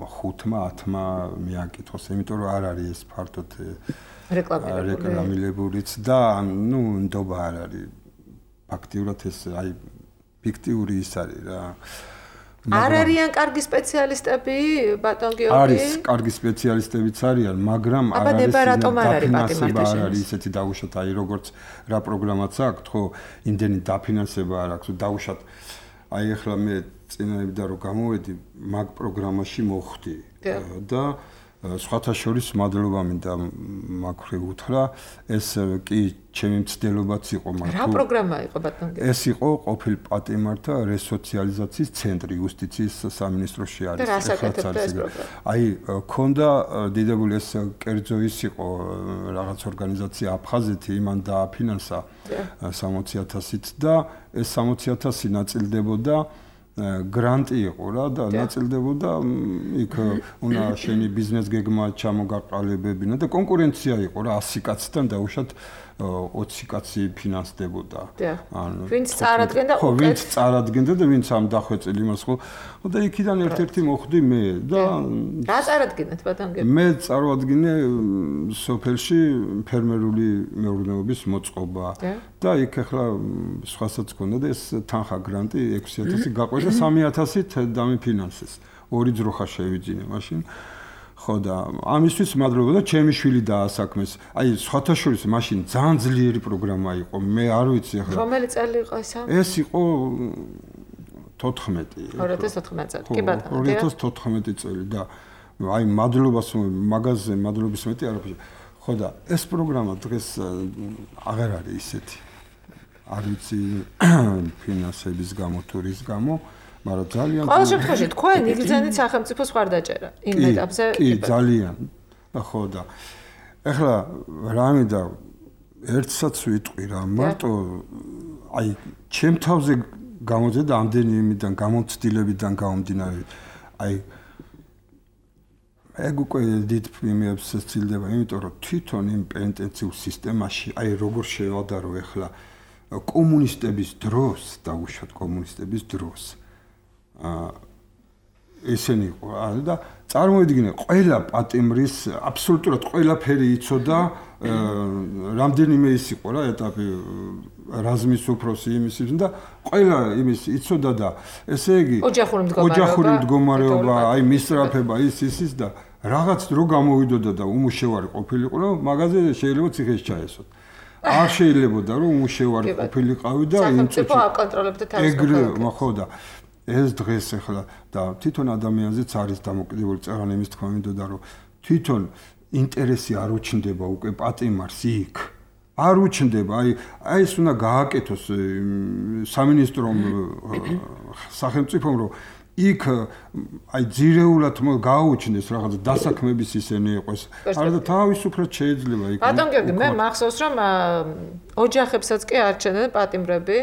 ხუთმა ათმა მიაკითხოს, იმიტომ რომ არ არის ეს ფართოდ რეკლამირებულიც და ნუ ნდობა არ არის. ფაქტიურად ეს აი ფიქტიური ის არის რა. არ არიან კარგი სპეციალისტები, ბატონ გიორგი? არის კარგი სპეციალისტებიც არიან, მაგრამ არ არის დაფინანსება არ არის ისეთი დაუშვათ, აი როგორც რა პროგრამაც აქვს, ხო, იმდენი დაფინანსება არ აქვს, დაუშვათ აი ახლა მე წინაებდა რომ გამოვედი მაგ პროგრამაში მოხვდი და სხვათა შორის მადლობა მინდა მაქვე უთხრა ეს კი ჩემი მცდელობაც იყო მაგრამ რა პროგრამა იყო ბატონ გიორგი? ეს იყო ყოფილ პატიმართა რესოციალიზაციის ცენტრი იუსტიციის სამინისტროში არის. და რას აკეთებდა ეს პროგრამა? აი ქონდა დიდებული ეს კერძო ის იყო რაღაც ორგანიზაცია აფხაზეთი იმან დააფინანსა სამოცი ათასით და ეს სამოცი ათასი ნაწილდებოდა გრანტი იყო რა და ნაწილდებოდა იქ უნდა შენი ბიზნეს გეგმა ჩამოგაყალიბებინა და კონკურენცია იყო რა ასი კაცთან დაუშვათ ოცი კაცი ფინანსდებოდა. ანუ ვინც წარადგენდა ხო ვინც წარადგენდა და ვინც ამ დახვეწილი იმას ხო და იქიდან ერთ-ერთი მოხვდი მე და რა წარადგენთ ბატონ გიორგი? მე წარვადგინე სოფელში ფერმერული მეურნეობის მოწყობა და იქ ახლა სხვასაც ქონდა და ეს თანხა გრანტი ექვსი ათასი გაყვეს და სამი ათასით დამიფინანსეს. ორი ძროხა შევიძინე მაშინ. ხო და ამისთვის მადლობა და ჩემი შვილი დაასაქმეს. აი სხვათა შორის მაშინ ძალიან ძლიერი პროგრამა იყო. მე არ ვიცი ახლა. რომელი წელი იყო ესა? ეს იყო თოთხმეტი. ორი ათას თოთხმეტი წელი. კი ბატონო. ორი ათას თოთხმეტი წელი და აი მადლობას მაგაზე მადლობის მეტი არ აქვს. ხო და ეს პროგრამა დღეს აღარ არის ისეთი. არ ვიცი ფინანსების გამო თუ რის გამო მაგრამ ძალიან ყოველ შემთხვევაში თქვენ იგრძენით სახელმწიფოს ხარდაჭერა იმ ეტაპზე კი ძალიან ხო და ეხლა რამე და ერთსაც ვიტყვი რა მარტო აი ჩემ თავზე გამოძედა ამდენი იმიდან გამოცდილებიდან გამომდინარე აი ეგ უკვე დიდ პრემიებს სცილდება იმიტომ რომ თვითონ იმ პენტენციურ სისტემაში აი როგორ შევადარო ეხლა კომუნისტების დროს დაუშვათ კომუნისტების დროს აა ესენი იყო და წარმოიდგინე ყველა პატიმრის აბსოლუტურად ყველაფერი იცოდა რამდენიმე ის იყო რა ეტაპი რაზმის უფროსი იმის და ყველა იმის იცოდა და ესე იგი ოჯახური მდგომარეობა აი მისწრაფება ის ის და რაღაც დრო გამოვიდოდა და უმუშევარი ყოფილიყო რომ მაგაზე შეიძლება ციხეში ჩაესვათ არ შეიძლებოდა რომ უმუშევარი ყოფილიყავი და იმ სახელმწიფო აკონტროლებდა თავის მოხდა ხო და ეს დღეს ახლა და თვითონ ადამიანზეც არის დამოკიდებული წაღან იმის თქმა მინდოდა რომ თვითონ ინტერესი არ უჩნდება უკვე პატიმარს იქ არ უჩნდება აი აი ეს უნდა გააკეთოს სამინისტრომ სახელმწიფომ რომ იქ აი ძირეულად გააუჩნდეს რაღაც დასაქმების ისენი იყოს არა და თავისუფლად შეიძლება იქ ბატონ გიორგი მე მახსოვს რომ ოჯახებსაც კი არჩენდნენ პატიმრები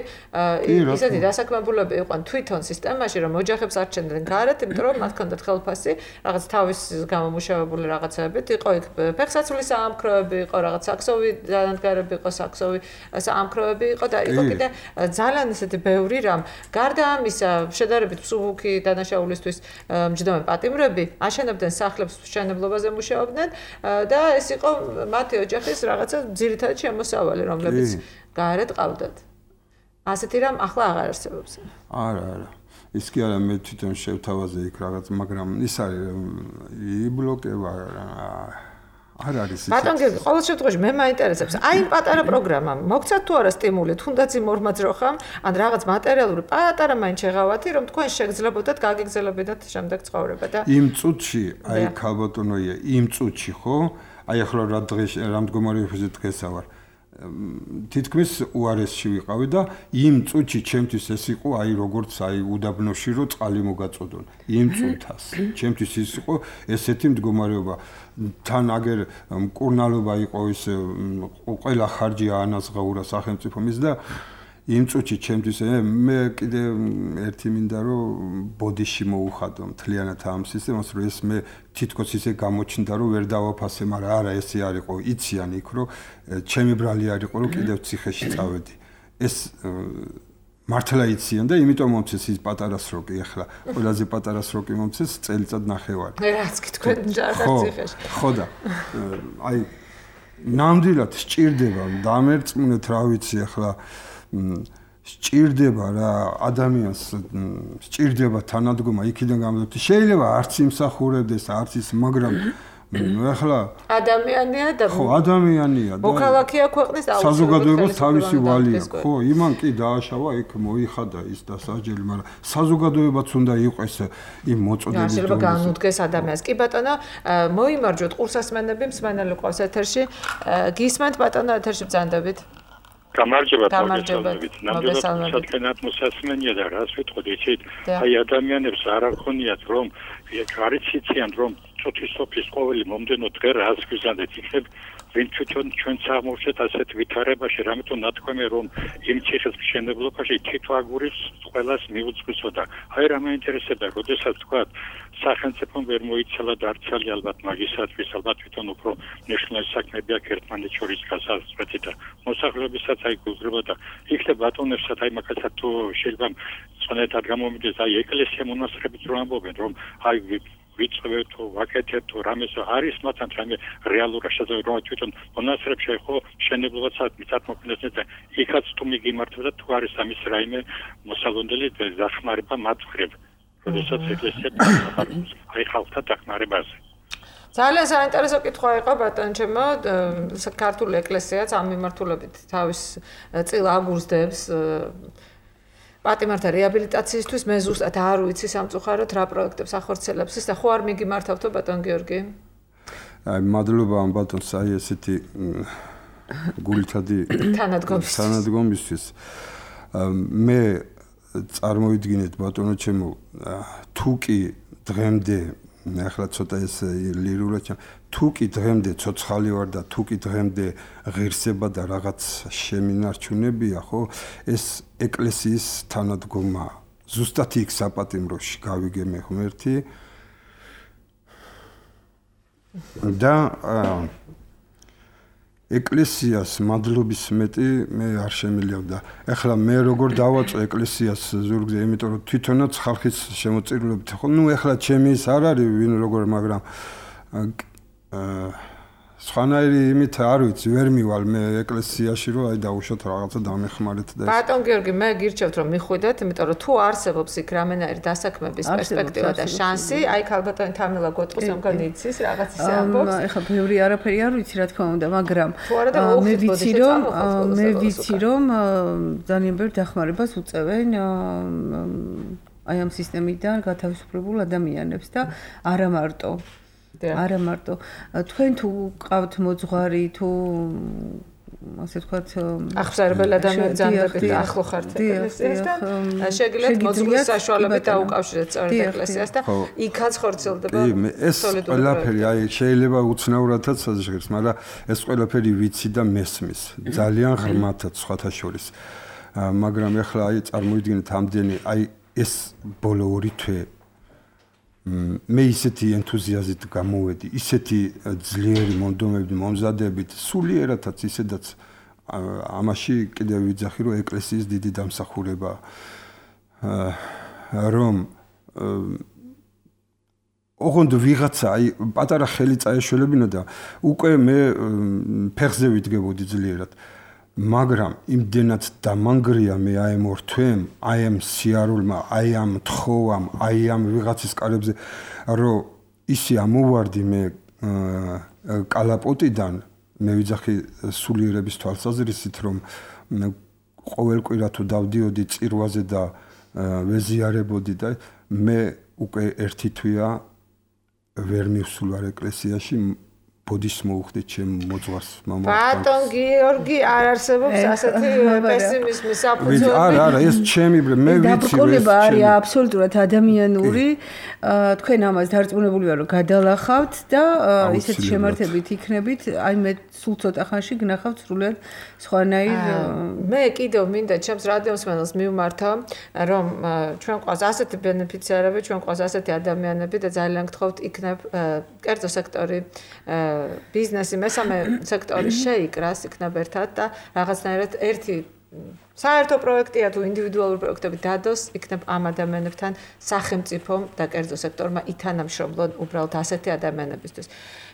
ისეთი დასაქმებულები იყვნენ თვითონ სისტემაში რომ ოჯახებს არჩენდნენ გარეთ იმიტომ რომ მათ ჰქონდათ ხელფასი რაღაც თავის გამომუშავებული რაღაცებით იყო იქ ფეხსაცმლის საამქროები იყო რაღაც საქსოვი დანადგარები იყო საქსოვი საამქროები იყო და იყო კიდე ძალიან ისეთი ბევრი რამ გარდა ამისა შედარებით მსუბუქი დანაშაულისთვის მჯდომე პატიმრები აშენებდნენ სახლებს მშენებლობაზე მუშაობდნენ და ეს იყო მათი ოჯახის რაღაცა ძირითადი შემოსავალი რომლებიც გარეთ ყავდათ. ასეთი რამ ახლა აღარ არსებობს. არა, არა. ის კი არა მე თვითონ შევთავაზე იქ რაღაც, მაგრამ ის არის იბლოკება არ არის ის. ბატონ გიორგი, ყოველ შემთხვევაში მე მაინტერესებს, აი იმ პატარა პროგრამამ მოგცათ თუ არა სტიმული, თუნდაც იმ ორმა ძროხამ, ან რაღაც მატერიალური პატარა მაინც შეღავათი, რომ თქვენ შეგძლებოდათ, გაგეგზელებოდათ შემდეგ ცხოვრება და იმ წუთში, აი ქალბატონოია, იმ წუთში ხო? აი ახლა რა დღეს რა მდგომარეობაზე დღესა ვარ. თითქმის უარესში ვიყავი და იმ წუთში ჩემთვის ეს იყო აი როგორც აი უდაბნოში რო წყალი მოგაწოდონ იმ წუთას ჩემთვის ის იყო ესეთი მდგომარეობა თან აგერ მკურნალობა იყო ის ყველა ხარჯი აანაზღაურა სახელმწიფო მის და იმ წუთში ჩემთვის მე კიდე ერთი მინდა რომ ბოდიში მოუხადო მთლიანად ამ სისტემას რომ ეს მე თითქოს ისე გამოჩნდა რომ ვერ დავაფასე მაგრამ არა ესე არისო იციან იქ რომ ჩემი ბრალი არისო რომ კიდევ ციხეში წავედი ეს მართლა იციან და იმიტომ მომწეს ის პატარა სროკი ახლა ყველაზე პატარა სროკი მომწეს წელიწად ნახევარი რაც კი თქვენ ჯარდარ ციხეში ხო და აი ნამდვილად სჭირდება დამერწმუნეთ რა ვიცი ახლა სჭირდება რა ადამიანს სჭირდება თანადგომა იქიდან გამოდოთ შეიძლება არც იმსახურებდეს არც ის მაგრამ ახლა ადამიანია და ხო ადამიანია და მოქალაქეა ქვეყნის საზოგადოებას თავისი ვალია ხო იმან კი დააშავა იქ მოიხადა ის დასაჯელი მაგრამ საზოგადოებაც უნდა იყოს იმ მოწოდების შეიძლება განუდგეს ადამიანს კი ბატონო მოიმარჯვოთ ყურსასმენები მსმენელი ყავს ეთერში გისმენთ ბატონო ეთერში ბრძანდებით გამარჯობა მოგესალმებით. ნამდვილად საქმიანად მოსასმენია და რას ვიტყოდი, იცით, აი ადამიანებს არ აღქონიათ რომ არც იციან რომ წუთის სოფლის ყოველი მომდენო დღე რას გვიზანდეთ იქნებ ვინ თვითონ ჩვენც აღმოჩნდეთ ასეთ ვითარებაში რამეთო ნათქვამი რომ იმ ციხის მშენებლობაში თითო აგურის ყველას მიუძღვისო და აი რა მეინტერესებდა როდესაც თქვა სახელმწიფომ ვერ მოიცალა და არცალი ალბათ მაგისათვის ალბათ თვითონ უფრო ნიშნული საქმეები აქ ერთმანეთს შორის გასაწყვეტი და მოსახლეობისაც აი გულგრება და იქნებ ბატონებსაც აი მაგასაც თუ შეიძლება წონეთად გამომიდეს აი ეკლესია მონასტრებით რომ ამბობენ რომ აი ვიწევთ თუ ვაკეთებთ თუ რამეს არის მათთან რამე რეალურად შესაძლოა რომ თვითონ მონასტრებში ხო მშენებლობასაც მიწათმოქმედებას და იქაც თუ მიგიმართებდა თუ არის ამის რაიმე მოსალოდნელი დახმარება მათ მხრივ როდესაც ეკლესია აი ხალხთა დახმარებაზე ძალიან საინტერესო კითხვა იყო ბატონ ჩემო ქართული ეკლესიაც ამ მიმართულებით თავის წილ აგურსდებს პატიმართა რეაბილიტაციისთვის მე ზუსტად არ ვიცი სამწუხაროდ რა პროექტებს ახორციელებს ის და ხო არ მიგიმართავთო ბატონ გიორგი? აი მადლობა ამ ბატონს აი ესეთი გულითადი თანადგომისთვის მე წარმოვიდგინეთ ბატონო ჩემო თუ კი დღემდე ახლა ცოტა ეს ლირულად თუ კი დღემდე ცოცხალი ვარ და თუ კი დღემდე ღირსება და რაღაც შემინარჩუნებია ხო ეს ეკლესიის თანადგომა ზუსტად იქ საპატიმროში გავიგე მე ღმერთი და ეკლესიას მადლობის მეტი მე არ შემიძლია. ეხლა მე როგორ დავაწო ეკლესიას ზურგზე, იმიტომ რომ თვითონაც ხალხის შემოწირულობით ხო, ნუ ეხლა ჩემი ის არ არის ვინ როგორ, მაგრამ აა სხვანაირი იმით არ ვიცი, ვერ მივალ მე ეკლესიაში რომ აი დაუშვათ რაღაცა დამეხმარეთ და ბატონ გიორგი, მე გირჩევთ რომ მიხვიდეთ, იმიტომ რომ თუ არსებობს იქ რამენაირი დასაქმების პერსპექტივა და შანსი, აი ქალბატონი თამილა გოტყუს ამგან იცის რაღაც ისე ამბობს. ეხლა ბევრი არაფერი არ ვიცი რა თქმა უნდა, მაგრამ მე ვიცი რომ მე ვიცი რომ ძალიან ბევრ დახმარებას უწევენ აი ამ სისტემიდან გათავისუფლებულ ადამიანებს და არა მარტო არა მარტო თქვენ თუ ყავთ მოძღვარი თუ ასე ვთქვათ აღსარებელ ადამიანებს ძანდებით ახლო ხართ ეკლესიასთან შეგიძლიათ მოძღვრის საშუალებით დაუკავშირეთ სწორედ ეკლესიას და იქაც ხორციელდება ეს ყველაფერი აი შეიძლება უცნაურადაც საზღერს მაგრამ ეს ყველაფერი ვიცი და მესმის ძალიან ღრმათაც სხვათა შორის მაგრამ ეხლა აი წარმოიდგინეთ ამდენი აი ეს ბოლო ორი თვე მე ისეთი ენთუზიაზმით გამოვედი, ისეთი ძლიერი მონდომებით, მომზადებით, სულიერადაც ისედაც ამაში კიდევ ვიძახი რომ ეკლესიის დიდი დამსახურება რომ ოღონდ ვიღაცა აი პატარა ხელი წაეშველებინა და უკვე მე ფეხზე ვიდგებოდი ძლიერად მაგრამ იმდენად დამანგრია მე აი ამ ორ თვემ, აი ამ სიარულმა, აი ამ თხოვამ, აი ამ ვიღაცის კარებზე, რომ ისე ამოვარდი მე კალაპოტიდან, მე ვიძახი სულიერების თვალსაზრისით, რომ ყოველ კვირა თუ დავდიოდი წირვაზე და ვეზიარებოდი და მე უკვე ერთი თვეა ვერ მივსულ ვარ ეკლესიაში ბოდის მოუხდით ჩემ მოძღვარს მამამ. ბატონ გიორგი არ არსებობს ასეთი პესიმიზმის საფუძველი. არა, არა, ეს ჩემი მე ვიცი. დაბრკოლება არის აბსოლუტურად ადამიანური. თქვენ ამას დარწმუნებული ვარ, რომ გადალახავთ და ისეთ შემართებით იქნებით, აი მე სულ ცოტა ხანში გნახავთ სრულიად სხვანაირ. მე კიდევ მინდა ჩემს რადიოსმენელს მივმართო, რომ ჩვენ ყავს ასეთი ბენეფიციარები, ჩვენ ყავს ასეთი ადამიანები და ძალიან გთხოვთ იქნებ კერძო სექტორი ბიზნესი მესამე სექტორი შეიკრას იქნებ ერთად და რაღაცნაირად ერთი საერთო პროექტია თუ ინდივიდუალური პროექტები დადოს იქნებ ამ ადამიანებთან სახელმწიფომ და კერძო სექტორმა ითანამშრომლონ უბრალოდ ასეთი ადამიანებისთვის.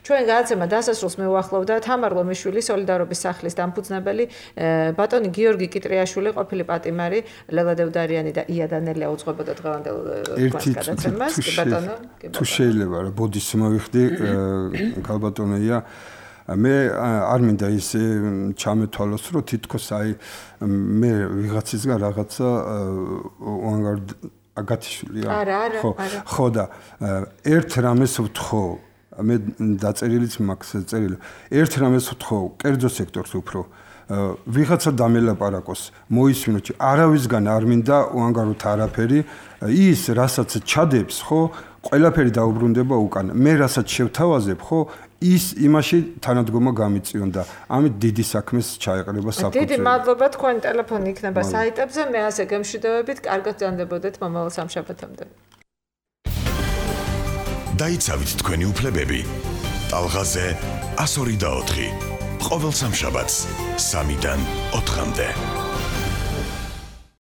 ჩვენ გადაცემა დასასრულს მივუახლოვდა თამარ ლომიშვილი, სოლიდარობის სახლის დამფუძნებელი, ბატონი გიორგი კიტრიაშვილი, ყოფილი პატიმარი, ლელა დევდარიანი და ია დანელია უძღვებოდა დღევანდელ გადაცემას. ბატონო, თუ შეიძლება რა ბოდის მოვიხდი, გალბატონია მე არ მინდა ის ჩამეთვალოს, რომ თითქოს აი მე ვიღაცისგან რაღაცა უანგარდ აგათიშულია. არა, არა, არა. ხო და ერთ რამეს ვთხოვ, მე დაწერილიც მაქვს წერილი. ერთ რამეს ვთხოვ, კერძო სექტორს უფრო ვიღაცა დამელაპარაკოს, მოისმინოთ, არავისგან არ მინდა უანგაროთ არაფერი, ის რასაც ჩადებს, ხო, ყველაფერი დაუბრუნდება უკან. მე რასაც შევთავაზებ, ხო, ის იმაში თანადგომა გამიწიონ და ამით დიდი საქმეს ჩაეყრება საფუძველი. დიდი მადლობა, თქვენ ტელეფონი იქნება საიტებზე, მე ასე გემშვიდობებით, კარგად გრძანდებოდეთ მომავალ სამშაბათამდე. დაიცავით თქვენი უფლებები. ტალღაზე one oh two. ყოველ სამშაბათს სამიდან ოთხამდე.